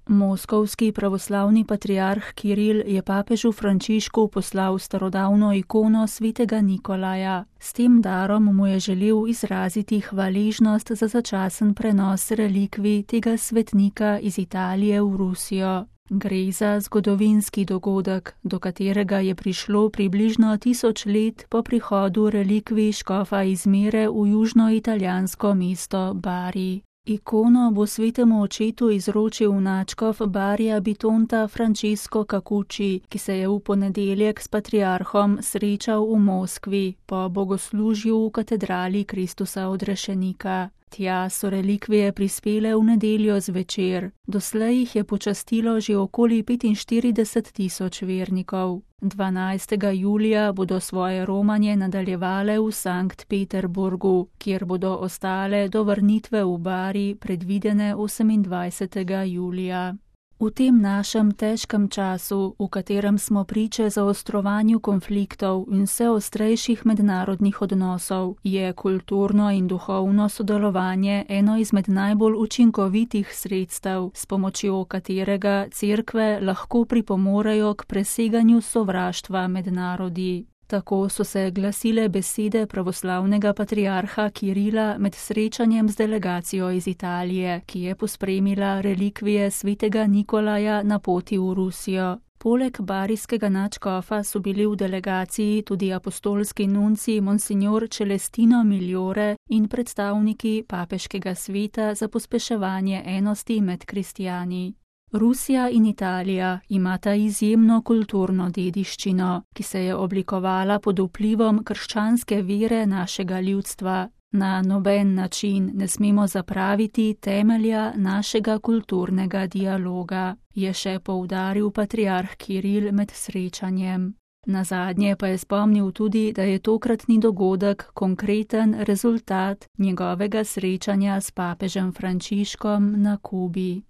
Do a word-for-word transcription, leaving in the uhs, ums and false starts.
Moskovski pravoslavni patriarh Kiril je papežu Frančišku poslal starodavno ikono svetega Nikolaja. S tem darom mu je želel izraziti hvaležnost za začasen prenos relikvij tega svetnika iz Italije v Rusijo. Gre za zgodovinski dogodek, do katerega je prišlo približno tisoč let po prihodu relikvij škofa iz Mere v južnoitalijansko mesto Bari. Ikono bo svetemu očetu izročil nadškof Barija Bitonta Francesco Cacucci, ki se je v ponedeljek s patriarhom srečal v Moskvi po bogoslužju v katedrali Kristusa odrešenika. Tja so relikvije prispele v nedeljo zvečer. Doslej jih je počastilo že okoli petinštirideset tisoč vernikov. dvanajstega julija bodo svoje romanje nadaljevale v Sankt Peterburgu, kjer bodo ostale do vrnitve v Bari predvidene osemindvajsetega julija. V tem našem težkem času, v katerem smo priče zaostrovanju konfliktov in vse ostrejših mednarodnih odnosov, je kulturno in duhovno sodelovanje eno izmed najbolj učinkovitih sredstev, s pomočjo katerega cerkve lahko pripomorejo k preseganju sovraštva med narodi. Tako so se glasile besede pravoslavnega patriarha Kirila med srečanjem z delegacijo iz Italije, ki je pospremila relikvije svetega Nikolaja na poti v Rusijo. Poleg barijskega nadškofa so bili v delegaciji tudi apostolski nunci Monsignor Celestino Migliore in predstavniki papeškega sveta za pospeševanje enosti med kristjani. Rusija in Italija imata izjemno kulturno dediščino, ki se je oblikovala pod vplivom krščanske vere našega ljudstva. Na noben način ne smemo zapraviti temelja našega kulturnega dialoga, je še poudaril patriarh Kiril med srečanjem. Nazadnje pa je spomnil tudi, da je tokratni dogodek konkreten rezultat njegovega srečanja s papežem Frančiškom na Kubi.